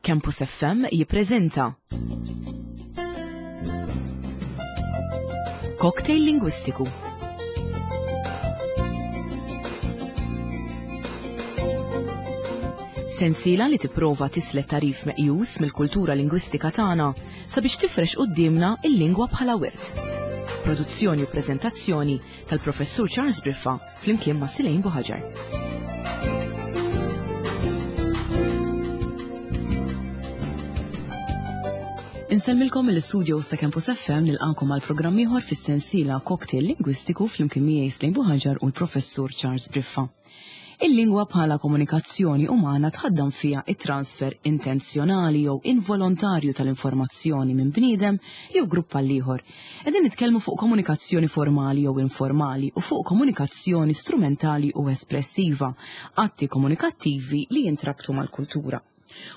Campus FM jippreżenta Cocktail Lingwistiku. Sensiela li tipprova tislet tarif meqjus mill-kultura lingwistika tagħna sabiex tifrex quddiemna il-lingwa bħala wirt. Produzzjoni u preżentazzjoni tal-Professur Charles Briffa flimkien ma' Silejn Buħaġar. Insemmilkom mill-studios ta' Campus FM nilqakom għal programm ieħor fis-sensiela Cocktail Lingwistiku flimkien miegħi Slejn Buħaġar u l-Professur Charles Briffa. Il-lingwa bħala komunikazzjoni umana tħaddam fiha it-transfer intenzjonali jew involontarju tal-informazzjoni minn bniedem jew grupp għal ieħor. Qegħdin nitkellmu fuq komunikazzjoni formali jew informali u fuq komunikazzjoni strumentali u espressiva, atti komunikattivi li jintrabtu mal-kultura.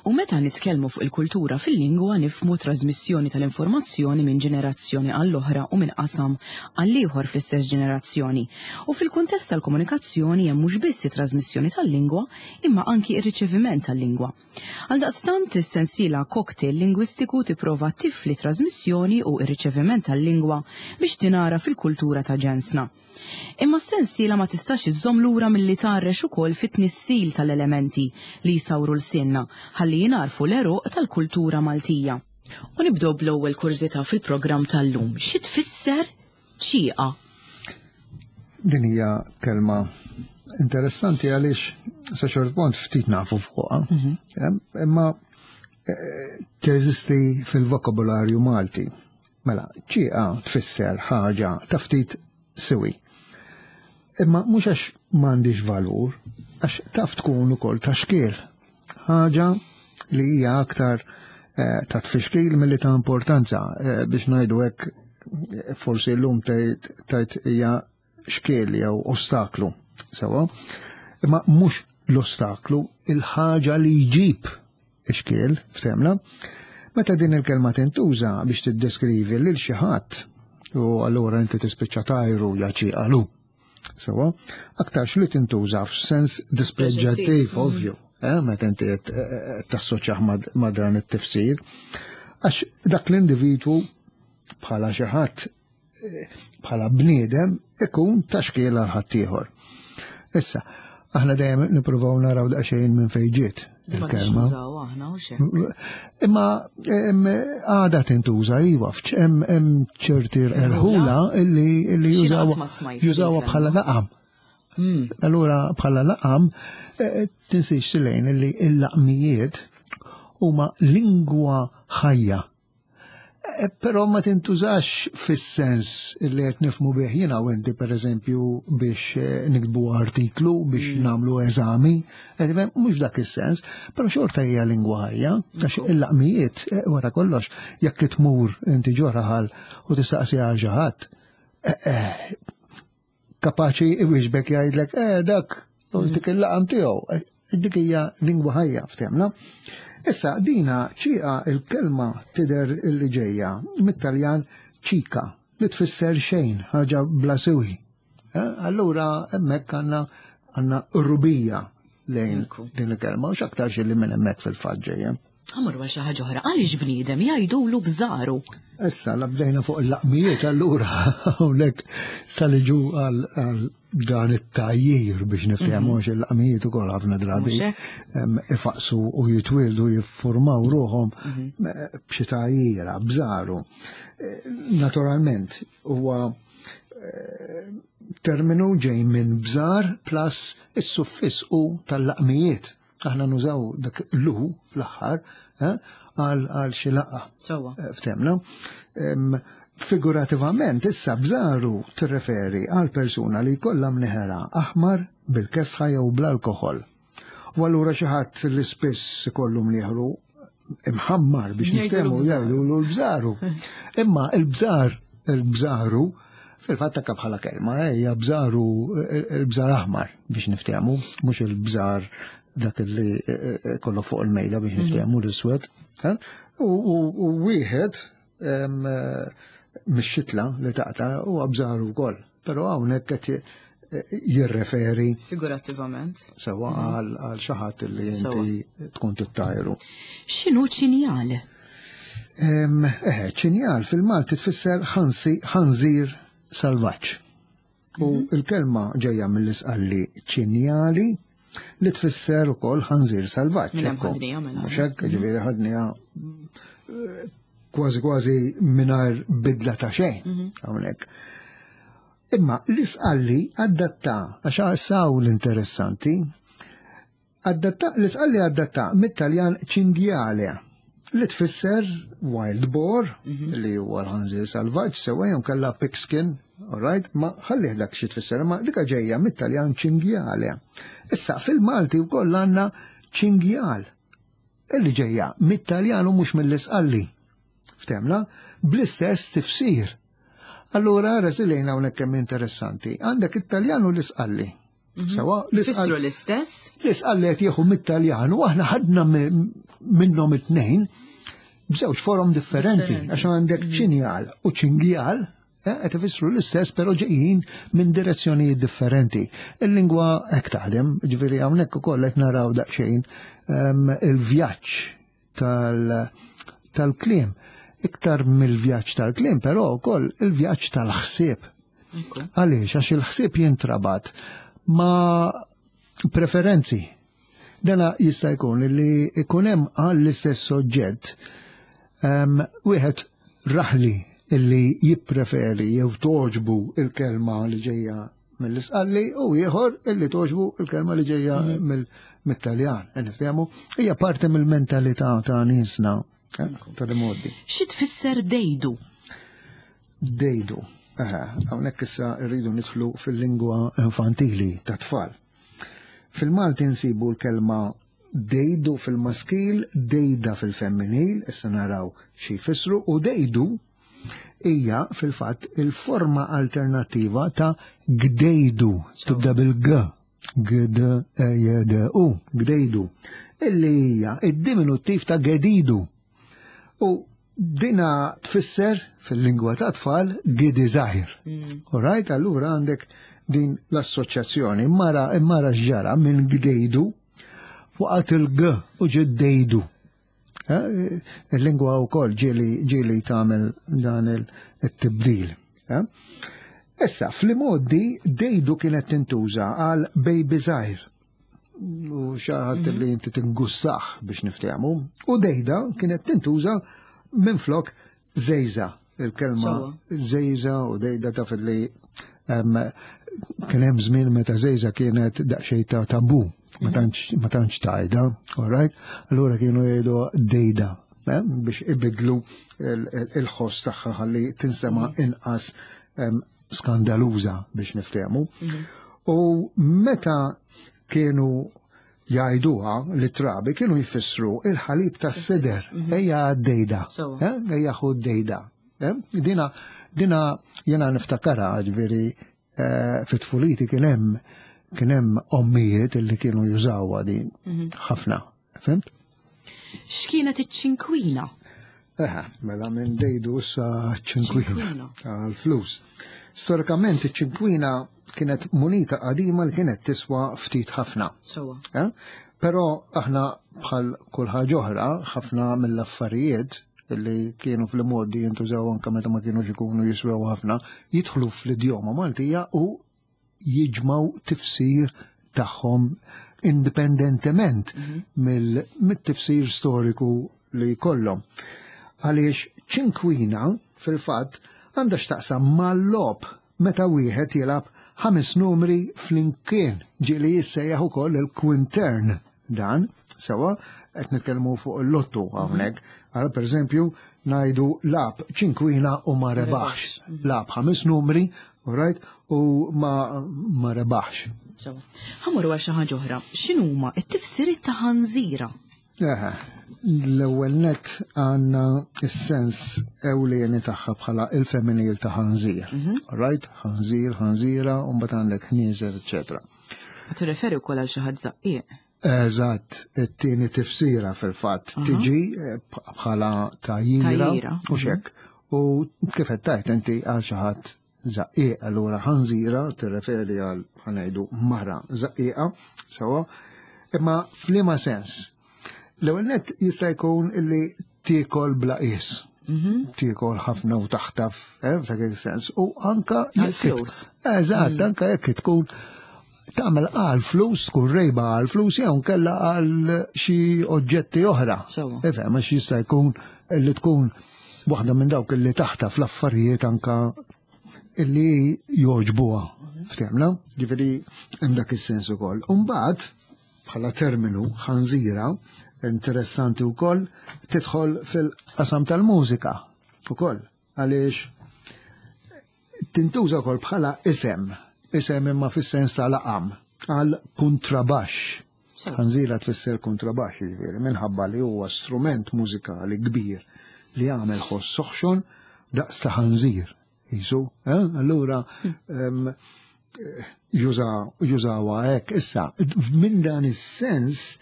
U meta nitkellmu fuq il-kultura fil-lingwa nifhmu trażmissjoni tal-informazzjoni minn ġenerazzjoni għall-oħra u minn qasam għall-ieħor fl-istess ġenerazzjoni. U fil-kuntest tal-komunikazzjoni hemm mhux biss it-trażmissjoni tal-lingwa imma anki r-riċeviment tal-lingwa. Għaldaqstant, is-sensiela Cocktail Lingwistiku tipprova tifli t-trażmissjoni u r-riċeviment tal-lingwa biex tingħaraf il-kultura ta' ġensna. Imma s-sensiela ma tistax iżżomm lura milli tgħarrex ukoll fit-tnissil tal-elementi li jsawru lsienna ħalli jingħarfu l-għeruq tal-kultura Maltija. U nibdew bl-ewwel kurżità fil-programm tal-lum. Xi tfisser ċieqa? Din hija kelma interessanti għaliex sa ċert punt ftit nafu fuqha. Mhm. Imma eh, teżisti fil-vokabularju Malti. Mela, ċieqa tfisser ħaġa ta' ftit siwi. Imma mhux għax m'għandix valur, għax taf tkun ukoll ta' xkiel. Ħaġa li hija aktar eh, ta' tfixkil milli ta' importanza eh, biex ngħidu hekk eh, forsi llum tgħid hija xkiel jew ostaklu. Sewa, imma mhux l-ostaklu, il-ħaġa li jġib ixkiel, ftemna. Meta din il-kelma tintuża biex tiddeskrivi lil xi ħadd u allura inti tispiċċa tajru jaċi għalu. Sewa, aktarx li tintuża f'sens dispreġġattiv, mm. ovvju, eh, meta inti eh, eh, tassoċjah ma' dan it-tifsir. Għax dak l-individwu bħala xi ħadd bħala bniedem ikun ta' xkiel għal ħaddieħor. Issa, aħna dejjem nippruvaw naraw daqsxejn minn fejn ġiet il-kelma. Imma għada tintuża iva, hemm ċerti erħula illi jużawha bħala laqam. Hmm. Allura bħala laqam eh, tinsiex silejn illi l-laqmijiet huma lingwa ħajja Eh, però ma tintużax fis-sens li qed nifmu bih jiena u inti pereżempju biex eh, nikbu artiklu biex mm. nagħmlu eżami, eh, mhux dak is-sens, però xorta hija lingwa ħajja, għax il-laqmijiet wara kollox jekk tmur inti ġoraħal u tistaqsi għal xi ħadd, kapaċi iwieġbek jgħidlek, eh dak, mm. dik il-laqam tiegħu. Eh, dik hija lingwa ħajja ftemna. Issa dina ċieqa il-kelma tidher li ġejja mit-Taljan ċika li tfisser xejn, ħaġa bla siwi. Eh, allura hemmhekk għandna għandna rubija lejn din il-kelma u x'aktar xi li minn hemmhekk fil-fatt ġejja. Għamur għal xi ħaġa oħra, għaliex bniedem jgħidulu bżaru. Issa la bdejna fuq il-laqmijiet allura hawnhekk saliġu għal dan it-tajjir biex niftehmu mhm. għax il-laqmijiet ukoll ħafna drabi ifaqsu u jitwildu jiffurmaw ruħhom mhm. eh, b'xi tajjira, bżaru. Eh, naturalment huwa eh, terminu ġej minn bżar plus is-suffiss u tal-laqmijiet. Aħna nużaw dak lu fl-aħħar eh, għal xi laqgħa. Sewwa. Eh, ftemna. Figurativament, issa bżaru tirreferi għal persuna li jkollha mneħera aħmar bil-kesħa jew bl-alkoħol. U allura xi ħadd li spiss ikollu mnieħru imħammar biex niftehmu jgħidu l-bżaru. Imma il-bżar, il-bżaru, fil-fatt takka bħala kelma, eh, hija bżaru il-bżar aħmar biex niftehmu, mhux il-bżar dak li eh, eh, kollu fuq il-mejda biex mhm. niftehmu l-iswed. U wieħed mix-xitla li taqta' huwa bżaru wkoll. Però hawnhekk qed. jirreferi figurattivament sewa mhm. għal xi ħadd li inti tkun tittajru. X'inhu ċinjal? Eh, ċinjal fil-Malti tfisser ħansi ħanżir salvaġġ. U mhm. il-kelma ġejja mill-isqalli ċinjali li tfisser ukoll ħanżir salvaġġ. Mela. Mhux hekk, mhm. ġifieri ħadniha eh, kważi kważi mingħajr bidla ta' xejn mhm. hawnhekk. Imma l-isqalli adatta, għax saw l-interessanti, adatta, l-isqalli adatta mit-Taljan cinghiale, li tfisser wild boar, mhm. li huwa l-ħanżir salvaġġ, sewa jew kellha pigskin, alright, ma ħallih dak xi tfisser, ma dika ġejja mit-Taljan cinghiale. Issa fil-Malti wkoll għandna ċingjal, illi ġejja mit-Taljan u mhux mill-isqalli. Ftemna, bl-istess tifsir. Allura, resilejna hawnhekk kemm interessanti. Għandek it-Taljan u l-Isqalli. Mhm. Sewa, l-Isqalli l-istess? L-Isqalli qed jieħu mit-Taljan u aħna ħadna minnhom it-tnejn b'żewġ forom differenti, għax għandek mhm. ċinjal u ċingjal, eh, qed ifissru l-istess però ġejjin minn direzzjonijiet differenti. Il-lingwa hekk taħdem, ġifieri hawnhekk ukoll qed naraw daqsxejn ehm, il-vjaġġ tal-kliem. Iktar mill-vjaġġ tal-kliem, però wkoll il-vjaġġ tal-ħsieb. Għaliex, għax il-ħsieb jintrabat ma' preferenzi. Dana jista' jkun li ikun hemm għall-istess soġġett ehm, wieħed raħli illi jippreferi jew toġbu il-kelma li ġejja mill-Isqalli u ieħor illi toġbu il-kelma li ġejja mhm. mit-Taljan. Nifhemu, hija parti mill-mentalità ta' niesna eh, tal-modi. Xi tfisser dejdu? Dejdu. Hawnhekk issa rridu nidħlu fil-lingwa infantili ta' tfal. Fil-Malti nsibu l-kelma dejdu fil-maskil, dejda fil-femminil, issa naraw xi jfissru, u dejdu hija fil-fatt il-forma alternattiva ta' gdejdu, tibda bil-g, g d e j d u, gdejdu, illi hija id-diminuttiv ta' gedidu. U dina tfisser fil-lingwa ta' tfal gidi żgħir. Mm. Alright, allura għandek din l-assoċjazzjoni. Mara mara x'ġara minn gdejdu waqgħet il-g u ġiddejdu. Eh, il-lingwa wkoll ġieli ġieli tagħmel dan il-tibdil. Eh? Issa, fl-modi dejdu kienet tintuża għal baby żgħir. U xaħat mhm. li inti tingussaħ biex niftehmu. U dejda kienet tintuża minn flok zejza, il-kelma zejza u dejda taf li kien hemm żmien meta zejza kienet daqsxejn ta' tabu, ma mhm. tantx tajda, all right? Allura kienu jgħidu dejda eh, biex ibidlu il-ħoss tagħha ħalli tinstema' mhm. inqas skandaluża biex niftehmu. Mhm. U meta kienu jgħiduha li trabi kienu jfissru il-ħalib tas-sider, mhm. ejja dejda, eh, ejja ħu dejda. Eh? Dina, dina jena niftakara ġveri eh, fit-tfuliti kien hemm kien hemm ommijiet li kienu jużawha din mhm. ħafna, fimt? X'kienet iċ-ċinkwina? Eħe, mela minn dejdu sa ċinkwina għal-flus. Storikament iċ-ċinkwina kienet munita qadima li kienet tiswa ftit ħafna. Sewa. Eh? Però aħna bħal kull ħaġa oħra, ħafna mill-affarijiet li kienu fl-modi jintużaw anke meta ma kienux ikunu jiswew ħafna, jidħlu fl-idjoma Maltija u jiġmaw tifsir tagħhom indipendentement mhm. mill-tifsir storiku li jkollhom. Għaliex ċinkwina fil-fatt għandha x'taqsam mal-lob meta wieħed jilgħab ħames numri flimkien ġieli jissejjaħ ukoll il-quintern dan sewa qed nitkellmu fuq il-lottu hawnhekk. Għal pereżempju ngħidu lab ċinkwina u ma rebaħx. Mhm. Lab ħames numri, right, u ma ma rebaħx. Sewa. Ħamur għal xi ħaġa oħra. X'inhuma t-tifsiriet ta' ħanżira? L-ewwel net għandna s-sens ewlieni tagħha bħala il-femminil ta' ħanżir. Mhm. Right? Ħanżir, ħanżira, u mbagħad għandek ħnieżer, eċetera. Tirreferi wkoll għal xi ħadd żaqqieq. Eżatt, it-tieni tifsira fil-fatt tiġi eh, bħala tajjira u xek. Mhm. U kif qed tajt inti għal xi ħadd Żaqqieq, allura ħanżira tirreferi għal ħanajdu mara żaqqieqa, sewwa, imma f'liema sens? L-ewwel nett jista' jkun illi tiekol bla qies. Tiekol ħafna u taħtaf, f'dak il-sens. U anka Għal-flus. Eżatt, anka jekk tkun tagħmel għal flus, tkun rejba għal flus jew kella għal xi oġġetti oħra. Sewwa. Ifhem, għax jista' jkun li tkun waħda minn dawk illi taħtaf l-affarijiet anka illi joġbuha. Ftehmna? Ġifieri hemm dak is-sens ukoll. U mbagħad bħala terminu ħanżira interessanti wkoll tidħol fil-qasam tal-mużika ukoll għaliex tintuża wkoll bħala isem, isem imma fis-sens ta' laqam għal kontrabaxx. Ħanżira tfisser kontrabaxx, jiġifieri minħabba li huwa strument mużikali kbir li jagħmel ħoss soħxon daqs ta' ħanżir. Jisu, eh? Allura jużawha hekk. Issa, minn dan is-sens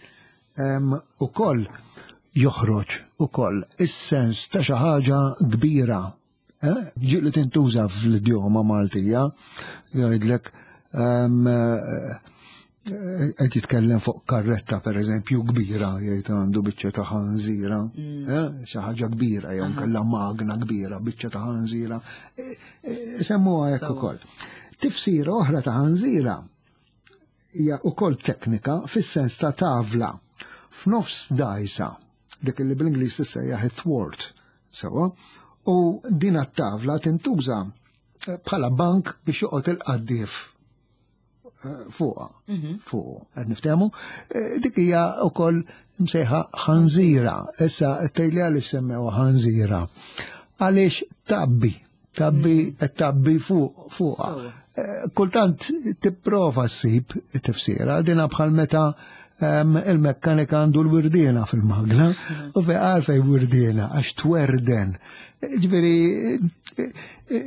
ukoll joħroġ ukoll is-sens ta' xi ħaġa kbira. Ġieli tintuża fl-idjoma Maltija, jgħidlek qed jitkellem fuq karretta per eżempju kbira, jgħid għandu biċċa ta' ħanżira, xi ħaġa kbira jew kellha magna kbira, biċċa ta' ħanżira. Semmuha hekk ukoll. Tifsira oħra ta' ħanżira hija ukoll teknika fis-sens ta' tavla f'nofs dajsa, dik li bl-Ingliż tissejjaħ it-thwart, sewwa, u din it-tavla tintuża bħala bank biex joqgħod il-qaddief fuqha, fuq, qed niftehmu. Dik hija wkoll msejħa ħanżira. Issa tgħidli għaliex semmewha ħanżira. Għaliex tabbi, tabbi, qed tabbi fuqha. Kultant tipprova ssib tifsira, dina bħal meta il-mekkanika għandu l-wirdiena fil-magna, u fej għalfej wirdiena, għax twerden. Ġifieri,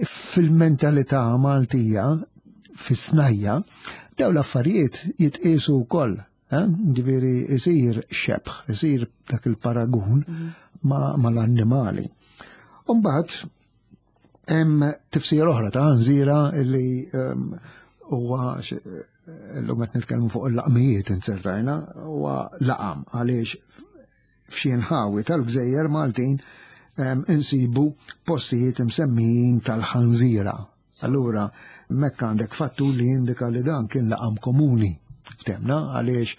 fil-mentalità Maltija, fis-snajja, daw l-affarijiet jitqiesu wkoll. Ġifieri, isir xebħ, isir dak il-paragun mal-annimali. Umbagħad, hemm tifsira oħra ta' ħanżira li huwa llum qed nitkellmu fuq il-laqmijiet inzertajna, huwa laqam għaliex f'xi nħawi tal-gżejjer Maltin insibu postijiet imsemmijin tal-ħanżira. Allura, mekk għandek fattur li jindika li dan kien laqam komuni. Ftemna għaliex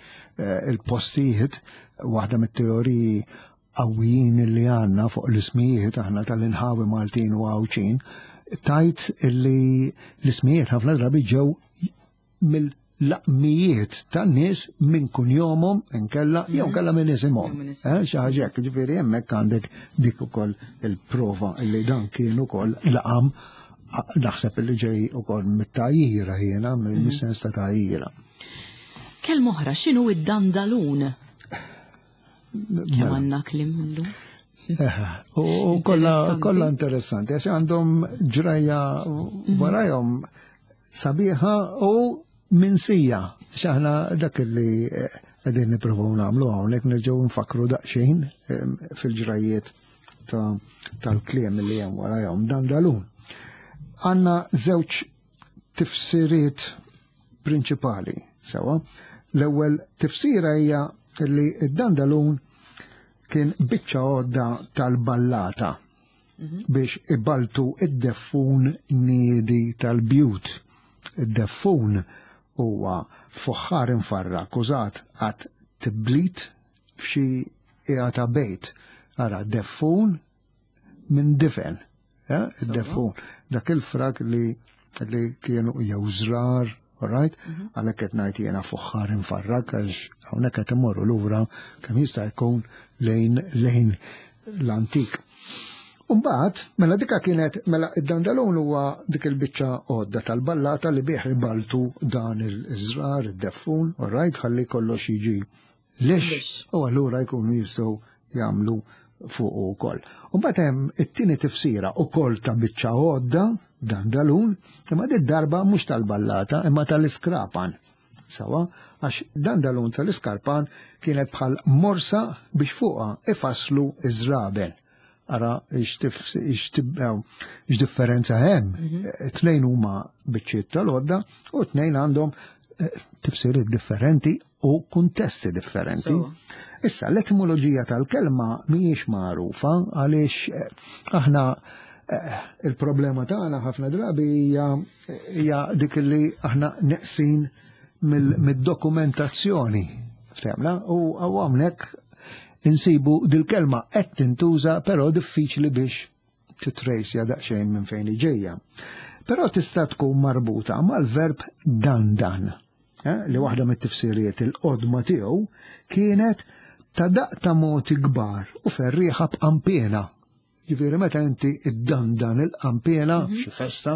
il-postijiet, waħda mit-teoriji qawwijin li għandna fuq l-ismijiet aħna tal-inħawi Maltin u Għawdxin, tajt li l-ismijiet ħafna drabi ġew mill-laqmijiet tan-nies minn kunjomhom inkella jew kella minn isimhom. Jew minn isimhom. Xi ħaġa hekk, ġifieri hemmhekk għandek dik ukoll il-prova li dan kien ukoll laqam, naħseb li ġej ukoll mit-tajjira jiena, mis-sens ta' tajjira. Kelma oħra, x'inhu id-dandalun? Kemm għandna kliem minnu? U kollha interessanti, għax għandhom ġrajja warajhom sabiħa u minsija. X'aħna dak li qegħdin nippruvaw nagħmlu hawnhekk nerġgħu nfakru daqsxejn fil-ġrajjiet tal-kliem li hemm warajhom dandalun. Għandna żewġ tifsiriet prinċipali, sewa. L-ewwel tifsira hija li d-dandalun kien biċċa għodda tal-ballata biex ibaltu id-deffun niedi tal-bjut. Id-deffun huwa fuħħar infarrak użat għat tiblit f'xi qiegħa ta' bejt. Ara, deffun minn difen, id-deffun. Dak il-frak li kienu jew żrar, all right? Għalhekk qed ngħid jiena fuħħar infarrak għax hawnhekk qed imorru lura kemm jista' jkun lejn l-antik. Umbagħad, mela dika kienet, mela id-dandalun huwa dik il-biċċa għodda tal-ballata li bih ibaltu dan il-żrar, id-deffun, all right, ħalli kollox jiġi lix, Lix. u allura jkunu jistgħu jagħmlu fuq ukoll. Umbagħad hemm it-tieni tifsira ukoll ta' biċċa għodda, dandalun, imma dit darba mhux tal-ballata imma tal-iskrapan. Sawa, għax dandalun tal-iskarpan kienet bħal morsa biex fuqha ifasslu iż-żraben. Ara x'differenza hemm. Tnejn huma biċċiet tal-għodda u tnejn għandhom tifsiriet differenti u kuntesti differenti. Issa, l-etimoloġija tal-kelma mhijiex magħrufa għaliex aħna il-problema tagħna ħafna drabi hija dik li aħna neqsin mid-dokumentazzjoni. Ftehmna? U hawnhekk insibu dil-kelma qed tintuża però diffiċli biex titrejsja daqsxejn minn fejn ġejja. Però tista' tkun marbuta mal-verb dandan, li waħda mit-tifsiriet il-qodma tiegħu kienet ta' daqq ta' moti kbar u ferrieħa b'qampiena. Ġifieri meta inti iddandan il-qampiena f'xi festa,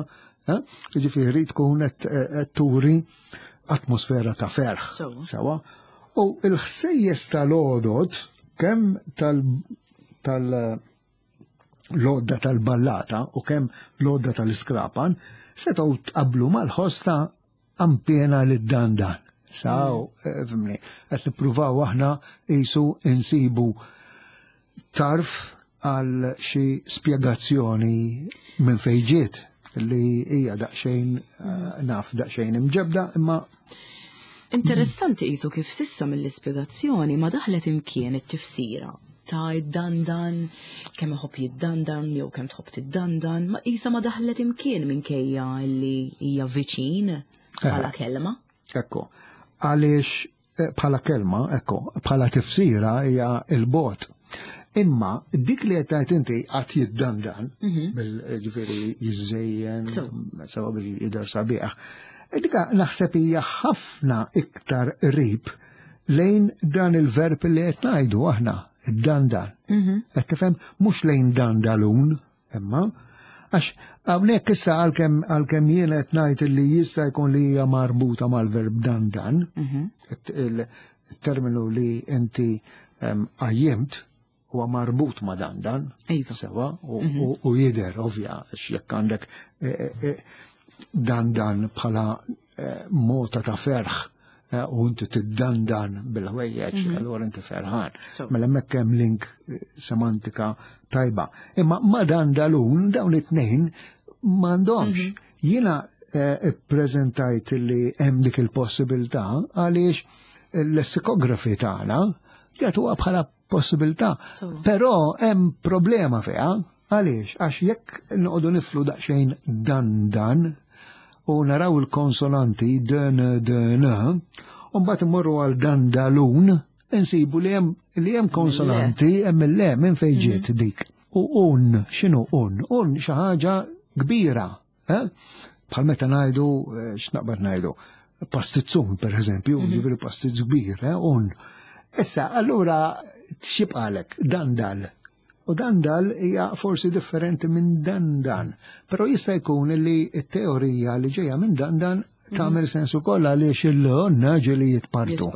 ġifieri tkun qed turi atmosfera ta' ferħ. Sewa. U l-ħsejjes tal-għodod kemm tal-lodda tal-ballata u kemm lodda tal-iskrapan setgħu tqablu mal-ħoss ta' qampiena li dandan. Saw, fimni, qed nippruvaw aħna qisu insibu tarf għal xi spjegazzjoni minn fejn ġiet li hija daqsxejn naf daqsxejn imġebda imma Interessanti qisu kif sissa mill-ispjegazzjoni ma daħlet imkien it-tifsira ta' id-dandan, kemm iħobb jiddandan jew kemm tħobb tiddandan, ma qisha ma daħlet imkien minkejja li hija viċin bħala kelma. Ekku, għaliex bħala kelma, ekku, bħala tifsira hija il-bot. Imma dik li qed tgħid inti qatt jiddandan, bil-ġifieri jiżżejjen, sewa biex jidher sabiħ. Dika naħseb hija ħafna iktar qrib lejn dan il-verb li qed ngħidu aħna, id-dandan. Qed tifhem mhux lejn dandalun, imma għax hawnhekk issa għalkemm jien qed ngħid li jista' jkun li hija marbuta mal-verb dandan, il-terminu li inti qajjimt huwa marbut ma' dandan, sewa, u jidher ovvja għax jekk għandek dandan bħala mota ta' ferħ u inti tiddandan bil-ħwejjeġ, allura inti ferħan. Mela hemmhekk hemm link semantika tajba. Imma ma' dandalun dawn it-tnejn m'għandhomx. Jiena ippreżentajt li hemm dik il-possibilità għaliex l-lessikografi tagħna jagħtuha bħala possibilità. Però hemm problema fiha. Għaliex? Għax jekk noqogħdu niflu daqsxejn dan dan u naraw il-konsonanti d n d n, u mbagħad immorru għal dandalun, insibu li hemm li hemm konsonanti hemm il-le minn fejn ġiet dik. U un, x'inhu un? Un xi ħaġa kbira, eh? Bħal meta ngħidu, x'naqbad ngħidu, pastizzun per eżempju, ġifieri pastizz kbir, un. Issa, allura x'jibqalek? Dandal. U dandal hija forsi differenti minn dandan, però jista' jkun li t-teorija li ġejja minn dandan tagħmel sens ukoll għaliex il-naġi li jitpartu.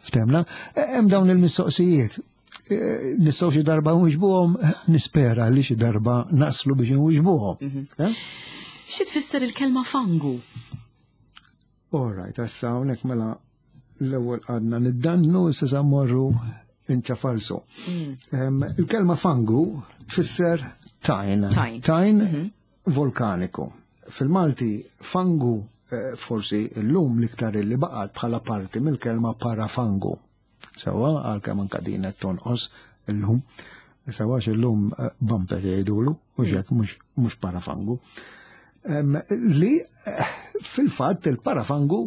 Ftemna, hemm dawn il-mistoqsijiet. Nistgħu xi darba nwiġbuhom, nispera li xi darba naslu biex nwiġbuhom. Xi tfisser il-kelma fangu? All right, issa hawnhekk mela l-ewwel għadna niddannu, issa sa mmorru inċafalsu. Il-kelma fangu tfisser tajn. Tajn. Tajn vulkaniku. Fil-Malti fangu forsi llum l-iktar li baqgħet bħala parti mill-kelma parafangu. Sewa għalkemm anka din qed tonqos illum. Sewa illum bumper jgħidulu, u xek mhux parafangu. Li fil-fatt il-parafangu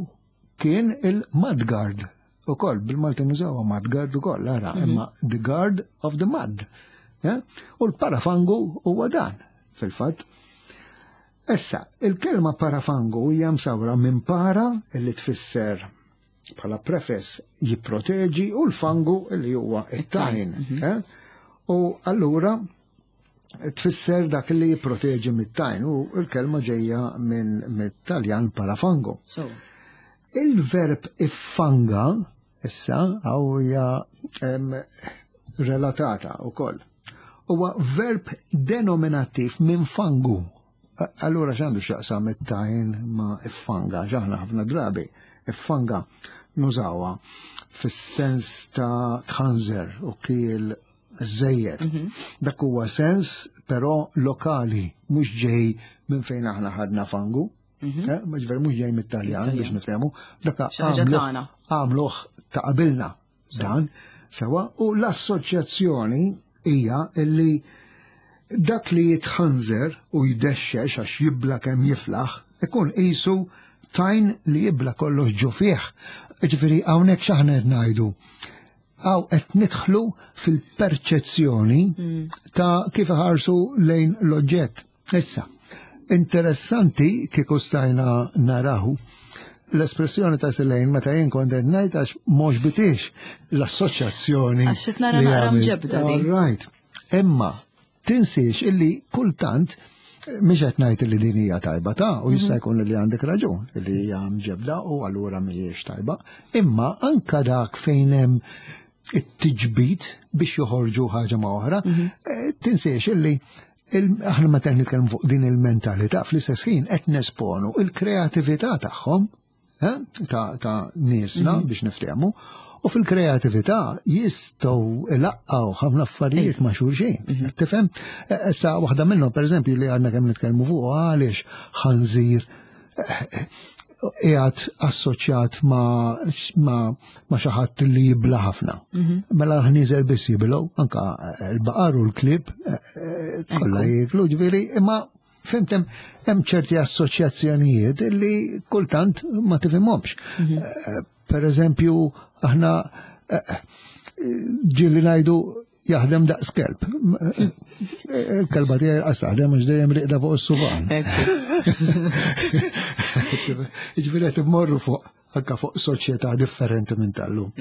kien il-mudguard ukoll, bil-Malti nużawha mudguard ukoll, ara, imma the guard of the mud. U l-parafangu huwa dan, fil-fatt. Issa, il-kelma parafangu hija msawra minn para li tfisser bħala prefess jipproteġi u l-fangu li huwa it-tajn. U allura tfisser dak li jipproteġi mit-tajn u l-kelma ġejja minn mit-Taljan parafango. Il-verb iffanga issa għaw hija relatata wkoll. Huwa verb denominattiv minn fangu. Allura x'għandu x'jaqsam it-tajn ma' iffanga, x'aħna ħafna drabi iffanga nużawha fis-sens ta' tħanżer u kiel żejjed. Dak huwa sens però lokali, mhux ġej minn fejn aħna ħadna fangu. Eh, Ġifieri mhux ġej mit-Taljan biex nifhemu, dak Xi ħaġa tagħna. għamluh ta' qabilna dan sewa u l-assoċjazzjoni hija illi dak li jitħanżer u jdexxex għax jibla kemm jiflaħ ikun qisu tajn li jibla kollox ġo fih. Ġifieri hawnhekk x'aħna qed ngħidu. Hawn qed nidħlu fil-perċezzjoni ta' kif iħarsu lejn l-oġġett. Issa, interessanti kieku stajna naraw l-espressjoni ta' Silejn meta jien kont qed ngħid għax mhux bitix l-assoċjazzjoni. Għax qed nara li naqra għamilt. mġebda din. All right. Imma tinsiex illi kultant mhix qed ngħid li din hija tajba ta' u jista' jkun li għandek raġun li hija mġebda u allura mhijiex tajba, imma anka dak fejn hemm it-tiġbid biex joħorġu ħaġa ma' oħra, tinsiex illi aħna meta nitkellmu fuq din il-mentalità fl-istess ħin qed nesponu il-kreatività tagħhom ta' niesna biex niftehmu, u fil-kreatività jistgħu ilaqqgħu ħafna affarijiet ma' xulxin. Tifhem? Issa waħda minnhom pereżempju li għandna kemm nitkellmu fuq għaliex ħanżir qiegħed assoċjat ma' xi ħadd li jibla ħafna. Mela l-ħnieżer biss jibilgħu, anka l-baqar u l-klieb kollha jieklu, ġifieri, imma fimt hemm ċerti assoċjazzjonijiet li kultant ma tifhimhomx. Per eżempju, aħna ġieli ngħidu jaħdem daqs kelb. Il-kelba tiegħi qas taħdem għax dejjem riqda fuq is-sufan. Jiġifieri qed immorru fuq anka fuq soċjetà differenti minn tal-lum.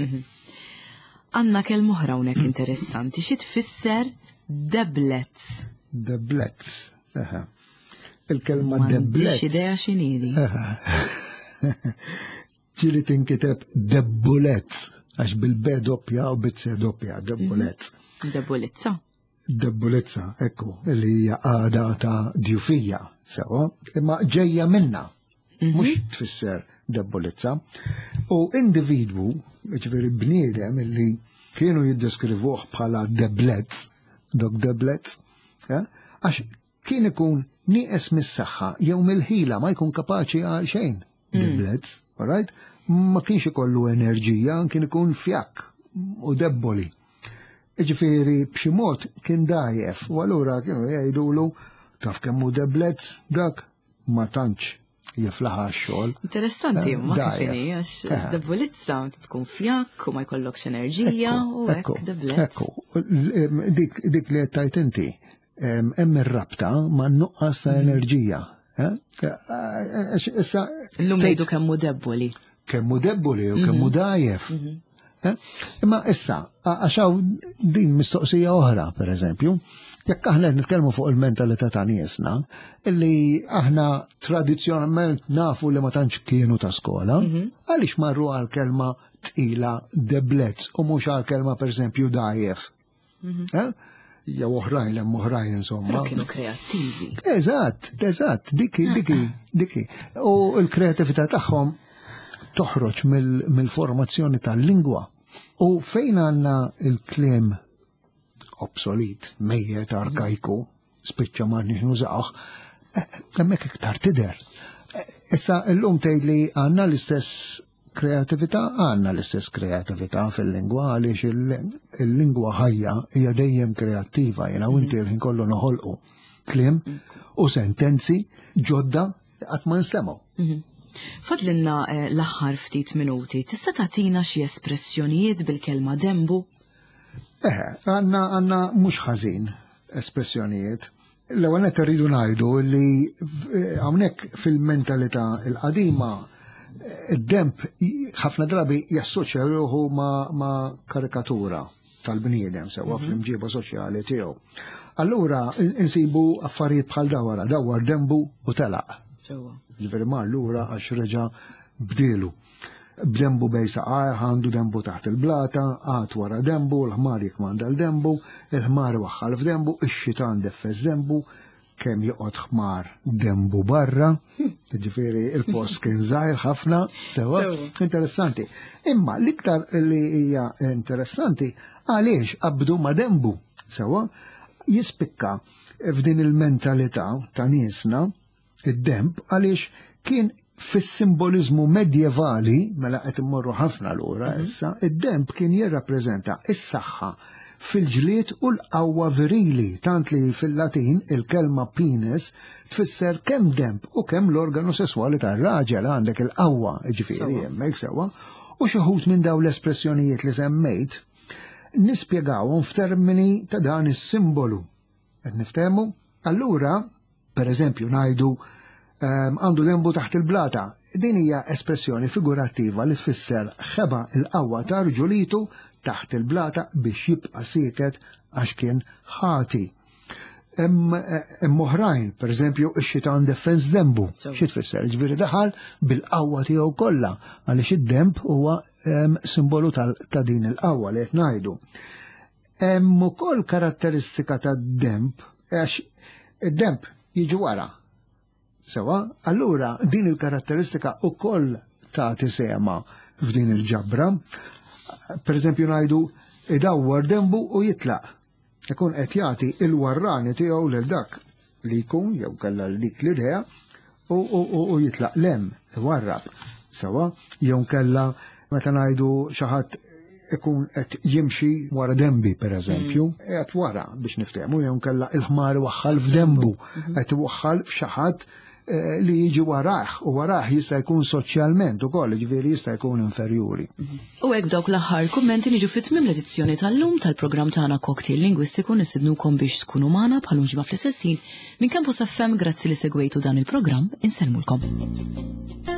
Għandna kelma oħra hawnhekk interessanti, xi tfisser deblets? Deblets. Aha. Il-kelma M'għandix deblets. idea x'inhi di. Ġieli tinkiteb debbulezz, għax bil-B doppja u bil-C doppja, debbulezz. Debbulizza. Debbulizza, ekku, li hija għada ta' djufija, sewa, imma ġejja minna, mhux tfisser debbulizza. U individwu, ġifieri bniedem illi kienu jiddeskrivuh bħala deblezz, dok deblezz, għax kien ikun nieqes mis-saħħa jew mill-ħila ma jkun kapaċi għal xejn. Deblezz, all right? Ma kienx ikollu enerġija, kien ikun fjakk u debboli. Ġifieri b'xi mod kien dajjef, u allura kienu jgħidulu taf kemm hu deblezz dak ma tantx jiflaħ għax-xogħol. Interessanti, ma kif Dajjef. inhi, għax debbulizza tkun fjakk u ma jkollokx enerġija u hekk deblezz. Ekku, dik li qed tgħid inti, hemm ir-rabta ma' nuqqas ta' enerġija. Issa Illum ngħidu kemm hu debboli. Kemm hu debboli u kemm hu dajjef. Imma issa, għax hawn din mistoqsija oħra, per eżempju, jekk aħna qed nitkellmu fuq il-mentalità ta' niesna, illi aħna tradizzjonalment nafu li ma tantx kienu ta' skola, għaliex marru għal kelma tqila deblezz u mhux għal kelma per eżempju dajjef. Jew oħrajn, hemm oħrajn insomma. Però kienu kreattivi. Eżatt, eżatt, diki, diki, diki. U l-kreatività tagħhom toħroġ mill-formazzjoni tal-lingwa. U fejn għandna il-kliem obsolet, mejjet, arkajku, spiċċa ma nix nużawh, hemmhekk iktar tidher. Issa llum tgħid li għandna l-istess kreatività, għandna l-istess kreatività fil-lingwa, għaliex il-lingwa ħajja hija dejjem kreattiva, jiena u inti l-ħin kollu noħolqu kliem u sentenzi ġodda qatt ma nstemgħu. Fadlinna l-aħħar ftit minuti, tista' tagħtina xi espressjonijiet bil-kelma dembu? Għandna mhux ħażin espressjonijiet. L-ewwel nett irridu ngħidu li hawnhekk fil-mentalità l-qadima id-demb ħafna drabi jassoċja ruħu ma' karikatura tal-bniedem sewwa fl-imġiba soċjali tiegħu. Allura insibu affarijiet bħal dawara, dawar dembu u telaq. Ġifieri mar lura għax reġa' bdielu. B'dembu bej saqajh, għandu dembu taħt il-blata, għad wara dembu, l-ħmar jikmanda l-dembu, il-ħmar waħħal f'dembu, ix-xitan deffes dembu, kemm joqgħod ħmar dembu barra, ġifieri il-post kien żgħir ħafna, sewa, interessanti. Imma l-iktar li hija interessanti, Għaliex qabdu ma' denbu? Sewwa, jispikka f'din il-mentalità ta' niesna id-denb għaliex kien fis-simboliżmu medjevali, mela qed immorru ħafna lura mhm. issa, id-denb kien jirrappreżenta is-saħħa fil-ġlied u l-qawwa virili, tant li fil-Latin il-kelma penis tfisser kemm denb u kemm l-organu sesswali tar-raġel għandek il-qawwa, ġifieri hemmhekk sewwa, u xi ħut minn dawn l-espressjonijiet li semmejt nispjegawhom f'termini ta' dan is-simbolu. Qed niftehmu? Allura, per eżempju, ngħidu ehm, għandu dembu taħt il-blata. Din hija espressjoni figurattiva li tfisser ħeba il-qawwa ta' rġulitu taħt il-blata biex jibqa' sieket għax kien ħati. Hemm oħrajn, per eżempju, ix-xitan defens dembu. Xi tfisser? Ġifieri daħal bil-qawwa tiegħu kollha għaliex id-demb huwa ehm, simbolu ta' din il-qawwa li qed ngħidu. Hemm ukoll karatteristika tad-demb għax id-demb jiġi wara. Sewa, allura din il-karatteristika ukoll tagħti sema f'din il-ġabra. Per eżempju ngħidu idawwar dembu u jitlaq. Ikun qed jagħti il-warrani tiegħu lil dak li jkun jew kellha dik l-idea u jitlaq lem, iwarrab. Sewa, jew kella meta ngħidu xi ħadd ikun qed jimxi wara dembi per eżempju, mm. qed wara biex niftehmu jew kella il-ħmar waħħal f'dembu, mm-hmm. qed iwaħħal f'xi ħadd eh, li jiġi warah u warah jista' jkun soċjalment ukoll, ġifieri jista' jkun inferjuri. Mm-hmm. U hekk dawk l-aħħar kummenti niġu fi tmiem l-edizzjoni tal-lum tal-programm tagħna Cocktail Lingwistiku nistidnukom biex tkunu magħna bħal ġimgħa fl-istess ħin minn Campus FM grazzi li segwejtu dan il-programm insellmulkom.